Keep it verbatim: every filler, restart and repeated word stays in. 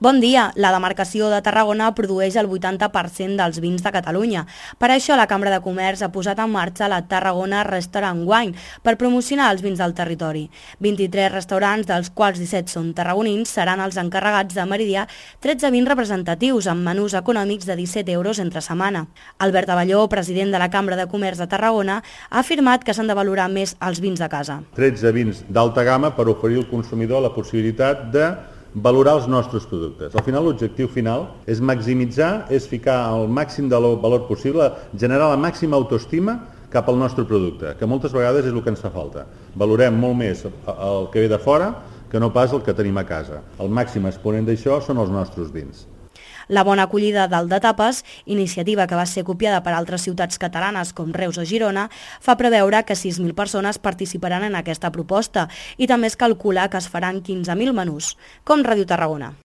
Bon dia. La demarcació de Tarragona produeix el vuitanta per cent dels vins de Catalunya. Per això la Cambra de Comerç ha posat en marxa la Tarragona Restaurant Wine per promocionar els vins del territori. vint-i-tres restaurants, dels quals disset són tarragonins, seran els encarregats de meridiar tretze vins representatius amb menús econòmics de disset euros entre setmana. Albert Abelló, president de la Cambra de Comerç de Tarragona, ha afirmat que s'han de valorar més els vins de casa. tretze vins d'alta gamma per oferir al consumidor la possibilitat de valorar els nostres productes. Al final, l'objectiu final és maximitzar, és ficar el màxim de valor possible, generar la màxima autoestima cap al nostre producte, que moltes vegades és el que ens fa falta. Valorem molt més el que ve de fora que no pas el que tenim a casa. El màxim exponent d'això són els nostres vins. La bona acollida del de tapes, iniciativa que va ser copiada per altres ciutats catalanes com Reus o Girona, fa preveure que sis mil persones participaran en aquesta proposta i també es calcula que es faran quinze mil menús. Com Ràdio Tarragona.